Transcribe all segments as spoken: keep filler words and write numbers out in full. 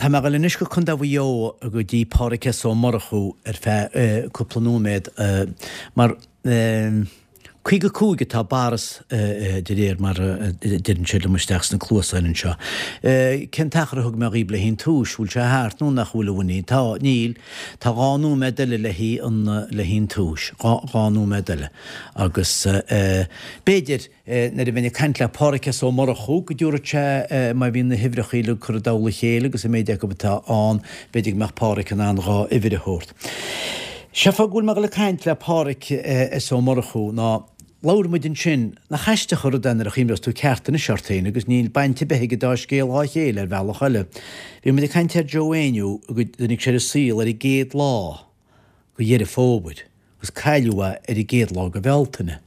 Tá mé ag dul anois go Contae Mhaigh Eo go dtí Pádhraic S. Ó Murchú ar feadh cúpla nóiméad mar caoga cúig atá Boris de réir mar a deireann sé liom isteach sna cluasáin anseo. Cén t-achar a thug mé dhaoib le haghaidh an tomhais? Bhfuil sé thart nó nach bhfuil a Mhinnie? Tá, níl. Tá dhá nóiméad eile le haghaidh an le haghaidh an tomhais. Dhá dhá nóiméad eile. Agus b'fhéidir nuair a bheinn ag caint le Pádhraic S. Ó Murchú go dtabharfadh sé má bhíonn na huimhreacha uilig curtha i dtoll a chéile agus an méid acu atá ann, b'fhéidir go mbeadh Pádhraic in ann dhá uimhir a thabhairt. Sé fáth go bhfuil mé ag dul ag caint le Pádhraic S. Ó Murchú ná labhair muid ansin nach aisteach an rud é nuair a chuimhneos tú ceart anois ort féin agus níl baint ar bith ag an dá scéal dhá chéile ar bhealach eile. Bhí muid ag caint ar Joe Éinniú go dtáinig sé ar an saol ar an gcéad lá go Dheireadh Fómhair agus cailleadh é ar an gcéad lá go Bhealtaine.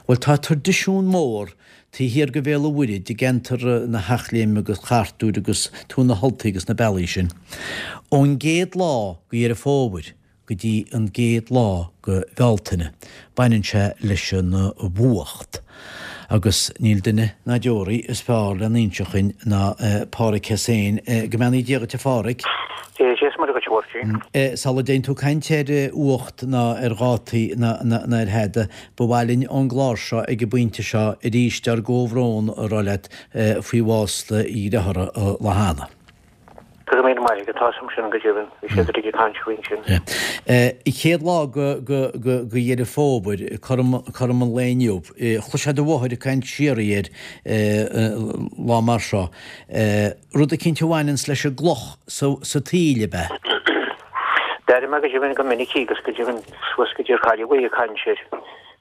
Bhuel tá traidisiún mór taobh thiar go Bhéal an Mhuirthead i gceantar na hEachléime agus Chartúir agus Tuath na hUltaí agus na bealaí sin. Ón gcéad lá go Dheireadh Fómhair go dtí an gcéad lá go Bhealtaine baineann sé leis an bhfuacht. Agus níl duine ná deoraí is fearr lena inseacht dhuinn ná Pádhraic S. féin. Go mbeannaí Dia dhuit a Phádhraic. Dia is Muire dhuit a Mháirtín. Sula dtéann tú ag caint ar fhuacht ná ar dhátaí ná ar thada, ba mhaith linn ón gclár seo ag an bpointe seo arís ár gcomhbhrón a rá leat faoi bhás do dhearthára lá cheana. Go raibh míle maith agat, tá 'fhios a'm sin go deimhin, bhí siad uilig ag caint faoin sin. An chéad lá go Dheireadh Fómhair, cothrom an lae inniu, chloisfeá do mháthair ag caint síoraí air lá mar seo, rud eicínt a bhaineanns leis an gcloch sa taoille, ab ea? D'airigh mé go deimhin go minic í agus go deimhin suas go dtí ar cailleadh í ag caint air.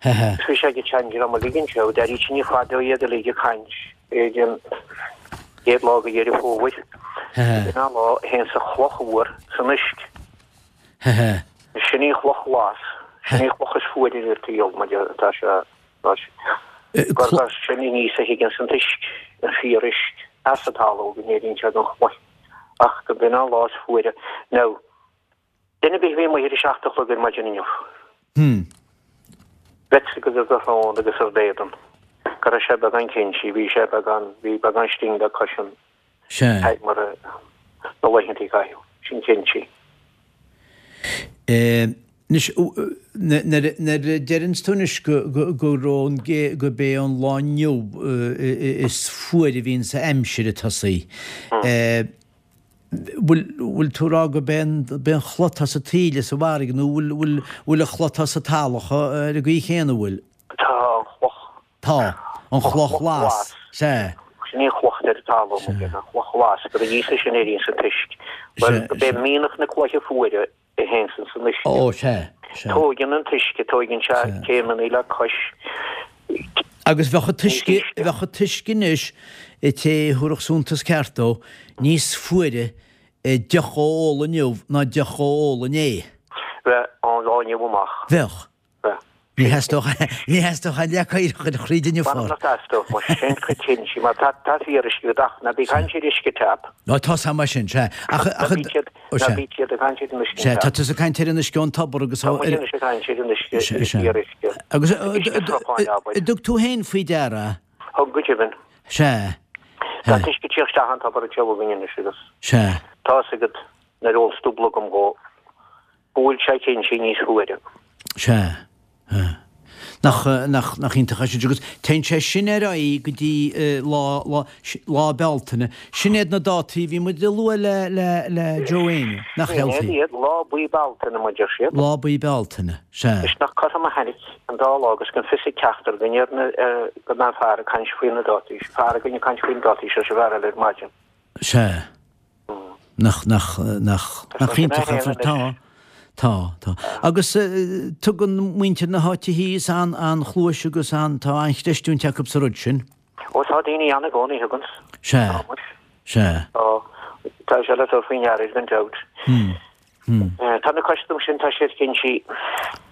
Agus bhí sé ag an tseandream uilig anseo, d'airítí ní fada iad uilig ag caint. Ar an gcéad lá de Dheireadh Fómhair, sin an lá a théanns an chloch fhuar san uisce. Sin í an chloch ghlas, sin í an chloch is fuaire ar an tsaol, mar tá sé, gurb as sin aníos a thigeanns an t-uisce, an fíor-uisce, as an talamh go n-éiríonn sé den chloich, ach go b'in an lá is fuaire. Now, Duine ar bith a bhí amuigh ar a seacht a chlog ar maidin inniu. Bheadh 'fhios agat ar do shrón agus ar d'éadan go raibh sé beagán cinnte, bhí sé beagán, bhí beagán sting le cois an Sea. mar a na laethanta a caitheadh, sin cinnte. Anois, nuair a deireanns tú anois go go raibh an go b'é an lá inniu is fuaire a bhíonn sa aimsir ag tosaí, Bhfuil, bhfuil tú ag rá go b'é an, b'é an chloch atá sa taoille sa bhfarraige nó bhfuil, bhfuil, bhfuil an chloch atá sa talamh ar an gcaoi chéanna, bhfuil? Tá an chloch. Tá. An chloch ghlas. Sea. Sin í an chloch ar an talamh, an chloch ghlas, gur aníos as sin a éiríonns an t-uisce. Bhuel, go b'é mianach na cloiche fuaire a théanns san uisce. Ó, sea, sea. Tóigeann an t-uisce, tóigeann sé céimeanna le cois. Agus bheadh an t-uisce, bheadh an t-uisce anois, an té a thabharfadh suntas ceart dó, níos fuaire deoch a ól inniu ná deoch a ól inné. Bheadh, ón lá inniu amach. Bheadh. Bheadh. Ní theastódh, ní theastódh aon leac oighir a chur thríd inniu. M'anam nach dteastódh, mar sin coitinne, mar tá, tá fíoruisce agat ach ná bí ag caint ar uisce tap. Nó tá sa mar sin, sea. Ach, ach, Ná bí siad, ná bí siad ag caint ar an uisce sea, tá tap. tusa ag caint ar an uisce ón tobar agus Tá muid anois ag caint ar an uisce, Sea, sea. fíoruisce. Agus, Uisce srutháin, abair. an dtug tú féin faoi deara? Thug go deimhin. Sea. Tá an t-uisce ag tíocht isteach an tobar anseo againn anois agus. Sea. Tá 'fhios agat nuair a ólfas tú blogam dhó. Go bhfuil sé cinnte níos fuaire. Sea. Sea. Nach, nach, nach iontach é sin. Agus téann sé sin ar aghaidh go dtí lá, lá, lá Bealtaine. Sin iad na dátaí a bhí muid a lua le, le, le Joe Éinniú. Nach Sin healthy. iad, lá buí Bealtaine, mar deir siad. Lá buí Bealtaine. Sea. Is nach cothrom a tháinig an dá lá agus gan fios ag ceachtar againn ar na, go mbeadh fear ag caint faoi na dátaí, fear againn ag caint faoi na dátaí seo is an fear eile ar maidin. Sea. Nach, nach, nach, nach iontach an fear. Tá, tá, tá. Agus tugann muintir na háite thíos an, an-chluais agus an, tá an-chreistiúint acu sa rud sin. Ó tá daoine ann i gcónaí a thuganns. Sea, Tá muid. sea. Tá, tá sé le tabhairt faoi ndeara gan dabht. Hmm. Hmm. Tá na custaim sin, tá siad cinnte,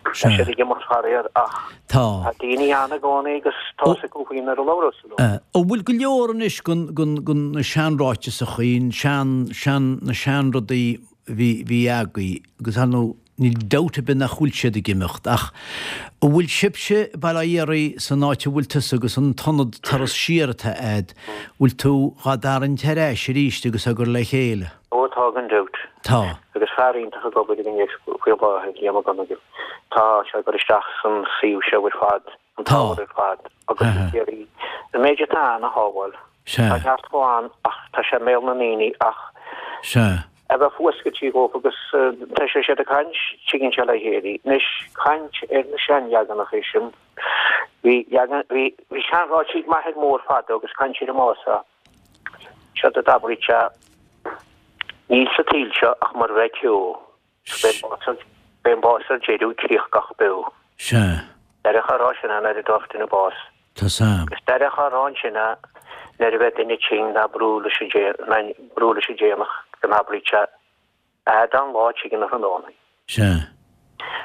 tá siad ag imeacht faraor ach Tá. tá daoine ann i gcónaí agus tá 'fhios acu faoi nuair a labhrós leo. An bhfuil go leor anois den, den, den na seanráiteasachaí, an sean, sean, na seanrudaí a bhí, bhí agaibh agus ar ndóigh níl dabht ar bith nach bhfuil siad ag imeacht ach an bhfuil sibhse i Baile Átha Fhiarraí san áit a bhfuil tusa agus an t-ionad Turas Siar atá a'd, bhfuil tú dhá dtarraingt ar ais arís agus á gcur le chéile? Ó Tá gan dabht. Tá. Agus fear iontach ag obair againn faoi láthair, Liam Mac Conaill. Tá sé ag cur isteach san suíomh seo ar fad, an t-ábhar ar fad, agus ag iarraidh an méid atá ann a shábháil. Tá neart dhó ann ach tá sé i mbéal na ndaoine ach Sea. a bheith fuascailtí dhóibh agus tá sé siad ag caint, tuigeann sé le chéile. Anois, caint ar na seanleaganacha sin, bhí leagan, bhí, bhí seanráití ag m'athair mór fadó agus caint ar an mbás a, seod a d'abraíodh sé, Níl sa tsaol seo ach mar a bheadh ceo, 's b'é an bás ar, b'é an bás ar deireadh críoch gach beo. Sea. Deireadh á rá sin é nuair a d'fhág duine bás. Tá 's a'm. Agus deireadh á rá ansin é nuair a bheadh duine tinn ná brú leis an ná brú leis an déanach go n-abraíodh sé, Fhad an lá tigh an tráthnóna. Sea.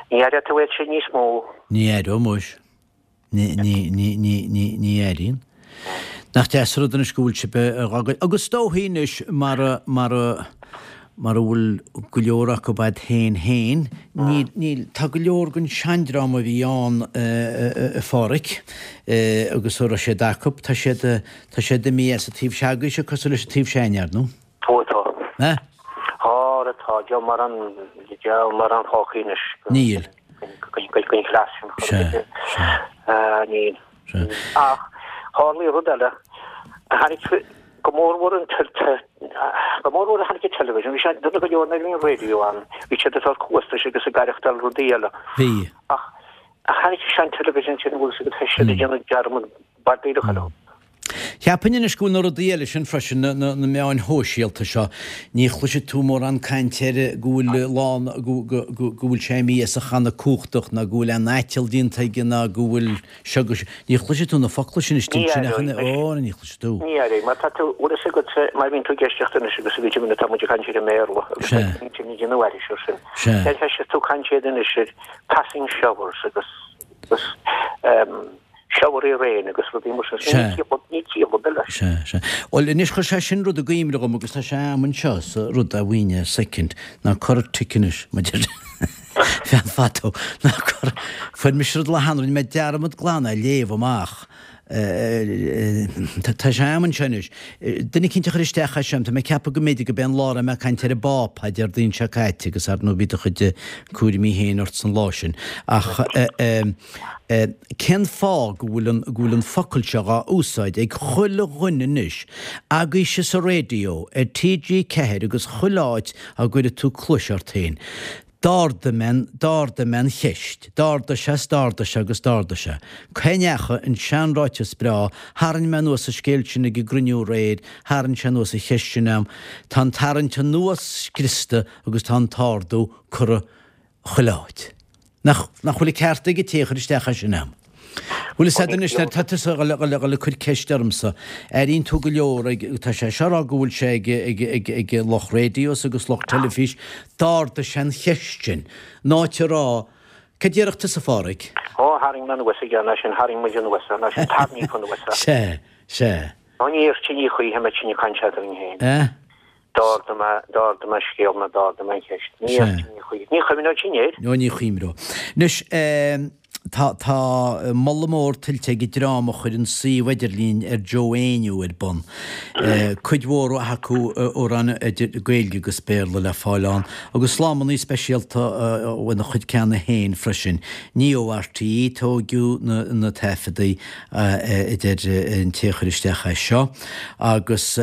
Ní aireoidh tú iad sin níos mó. Ní aireoidh muis. Ní, ní, ní, ní, ní, ní airíonn. Nach deas an rud anois go bhfuil sibh a dh'fhágáil. Agus is dóichí anois mar a, mar a, mar a bhfuil go leor acu a'd féin féin, níl, níl, tá go leor den seandream a bhí ann a Pháraic agus a raibh siad acu, tá siad, tá siad imithe as an taobh se'agaibhse cosúil leis an taobh se'againne, ar ndóigh. Ó tá. Eh? Tá, tá, diabhal mórán, diabhal mórán fágtha anois. Níl. Den chleas sin. Sea, sea. Níl. Ach tharlaigh rud eile. Tháinig go mórmhór an go mórmhór a tháinig an television. Bhí sé dona go leor nuair a bhí an radio ann. Bhí siad ag fáil cluas leis agus ag aireachtáil rudaí eile. Bhí. Ach tháinig an television sin bhfuil siad tá siad ag déanamh dearmad bardíreach orthu. Cheapfainn anois go bhfuil na rudaí eile sin freisin, na meáin shóisialta seo, ní chloisfidh tú mórán cainte air go bhfuil lán, go bhfuil sé imithe as a channa cumhachtach ná go bhfuil aon aiteal déanta aige ná go bhfuil seo go, ní chloisfidh tú na focla sin istigh Ní ansin ach aireoidh, ó, ní chloisfidh tú. Ní aireoidh, mar tá tú, bhfuil fhios agat, má bhíonn tú ag éisteacht anois agus a bhí tá muid ag caint ar an mBéarla agus Sea. tá muid ag déanamh aithris air sin. Sea. Deir tú caint iad anois ar passing showers agus agus um, showery rain agus rudaí mar sin. Sea. Ní ciall ní ciall ar bith leis. Sea, sea. Bhuel, anois chuir sé sin rud i gcuimhne dhom agus tá sé a'm anseo sa rud a mhaoine soicind, ná cuir tic anois, maidir fean fadó, ná cuir, fuair mise rud le hanraith, rinne mé dearmad glan é a léamh amach. Tá sé a'm anseo anois. Duine eicínt a chuir isteach é seo, tá mé ag ceapadh go mb'fhéidir go b'é an lá a raibh mé ag caint ar an bPápa Déardaoin seo caite agus ar ndóigh bhí do chuid cúraimí féin ort san lá sin. Ach cén fáth go bhfuil an, go bhfuil an focal seo dhá úsáid ag chuile dhuine anois, agaibhse sa raidió, ar T G ceathair agus chuile áit a gcuirfidh tú cluais ort féin? D'ardaigh mé an, d'ardaigh mé an cheist. D'ardaigh sé 's d'ardaigh sé agus d'ardaigh sé. Cá ndeachaigh an seanráiteas breá, tharraing mé anuas an scéal sin ag an gcruinniú aréir, tharraing sé anuas an cheist sin a'm. Tá an tarraingt anuas scriosta agus tá an t-ardú curtha chuile áit. Nach, nach bhfuil an ceart ag an té a chuir isteach é sin a'm? Bhuel is ea anois, tá tusa ag dul ag cur ceist ormsa. Airíonn tú go leor ag, tá sé seo a rá go bhfuil sé ag, ag, ag, ag lucht raidios agus lucht teilifís, d'ardaigh sé an cheist sin. In áit a rá, cad déarfadh tusa a Pháraic? Ó, tharraing mé anuas aige, ná sin, tharraing muid anuas é, ná sin, tarraingíodh anuas é. Sea, sea. Ó ní iarrtar ní choíche muid sin ag caint eadrainn féin. Eh? D'ardaigh mé, d'ardaigh mé scéal nó d'ardaigh mé an cheist. Ní Sea. iarrtar ní choíche. Ní chuimhneoidh sin air. Ó ní chuimhneoidh. Anois, eh, Tá tá moladh mór tuillte ag an dream a chuir an suíomh idirlín ar Joe Éinniú ar bun. Cuid mhór mhaith acu amhráin idir Gaeilge agus Béarla le fáil ann, agus slámannaí speisialta óna chuid ceanna féin freisin. Ní ó R T É a tóigeadh na na taifeadaí a deir an té a chuir isteach é seo. Agus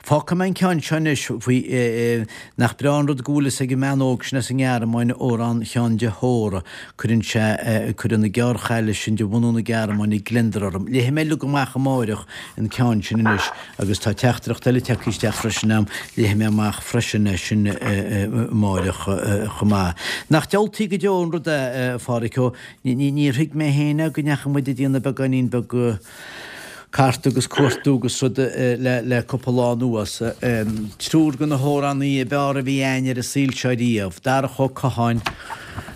fágfaidh mé an ceann seo anois faoi nach breá an rud go bhfuil fhios ag an mbean óg sin as an nGearmáin amhrán Sheáin de hÓra. Cuireann sé, cuireann na gearrchaile sin de bhunú na Gearmáine gliondar orm. Léifidh mé uilig amach amáireach an ceann sin anois agus tá teachtaireacht eile tagtha isteach freisin a'm, léifidh mé amach freisin é sin amáireach chomh maith. Nach diabhaltaí go deo an rud é, a Pháraic, ó níor thuig mé féin é go ndeachaigh muid ag déanamh beagáinín beag cart agus cuartú agus rud le cúpla lá anuas. Triúr de na hamhránaí ab fhearr a bhí a'ainn ar an saol seo riamh, Darach Ó Catháin,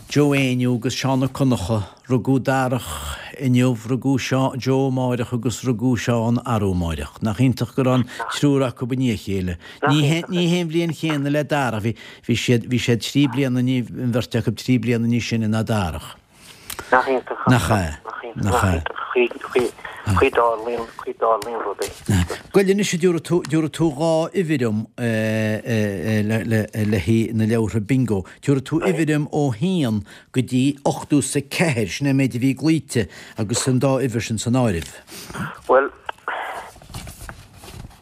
Joe Éinniú agus Seán Ó Conchúir. Rugadh Darach inniu, rugadh Joe amáireach agus rugadh Seán arú amáireach. Nach iontach go raibh an triúr acu i ndiaidh a chéile. Ní hé an bhliain chéanna le Darach, bhí siad bhí siad trí bliana, an bheirt acu trí bliana níos sine ná Darach. Nach iontach. Nach ea. Nach iontach. Chaoi dtarlaíonn, chaoi dtarlaíonn rudaí. Gabh i leith anois, dtabharfaidh tú, dtabharfaidh tú dhá uimhir dom le, le, le haghaidh na leabhartha bingo. Tabharfaidh tú uimhir dom ó haon go dtí ochtó is a ceathair, sin é an méid a bhí glaoite agus an dá uimhir sin san áireamh. Bhuel,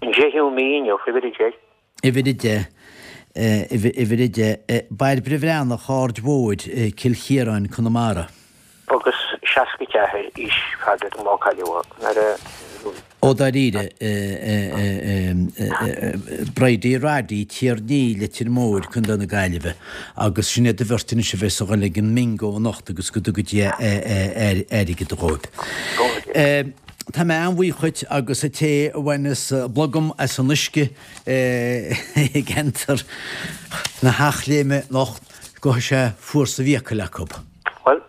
an deichiú mí inniu, uimhir a deich. Uimhir a deich, uimhir a deich, Bairbre Bhreathnach, Aird Mhóir, Cill Chiaráin, Conamara. Agus seasca ceathair aois fada don lá cailleadh nuair a. Ó dáiríre, Bridie Roddy, Tír Ní, Leitir Móir, Contae na Gaillimhe. Agus sin iad an bheirt anois a bheas ag dul ag an mbingo anocht agus go dtuga Dia airgead dhóibh. Tá mé an-bhuíoch dhuit agus an té a bhaineas blogam as an uisce i gceantar na hEachléime anocht, gabhfaidh sé fuar sa bhfiacail acu. Bhuel,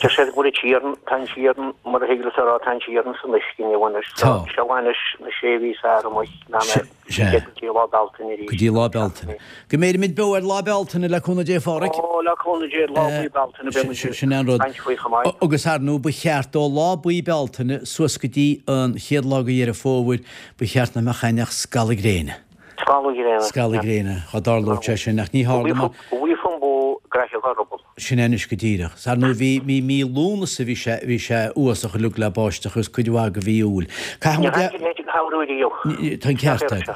deir siad go bhfuil an t-iarann, tá an t-iarann, mar a thig leat a rá, tá an t-iarann san uisce inniu anois. Tá. Seo anois na sé mhí is fearr amuigh, ná na Sea. go dtí lá Bealtaine arís. Go dtí lá Bealtaine. Go mbeirimid beo ar lá Bealtaine le cúnamh Dé, a Pháraic. Ó, le cúnamh Dé, lá buí Bealtaine, beidh muid Sin é an rud. ag caint faoi chomh maith. Agus ar ndóigh, ba cheart ó lá buí Bealtaine suas go dtí an chéad lá de Dheireadh Fómhair, ba cheart nach mbeadh ann ach scalladh gréine. Scalladh gréine. Scalladh gréine, dá dtarlódh sé sin, ach ní tharla mar. Bhí fan bó graithe dhá ruball. Sin é anois go díreach. 'S ar ndóigh bhí mí mí Lúnasa bhí sé bhí sé uafásach uilig le báisteach agus cuid mhaith de mhí Iúil. Caithfidh Níor muid thaitnigh leis an shamhradh riamh. Tá an ceart agat.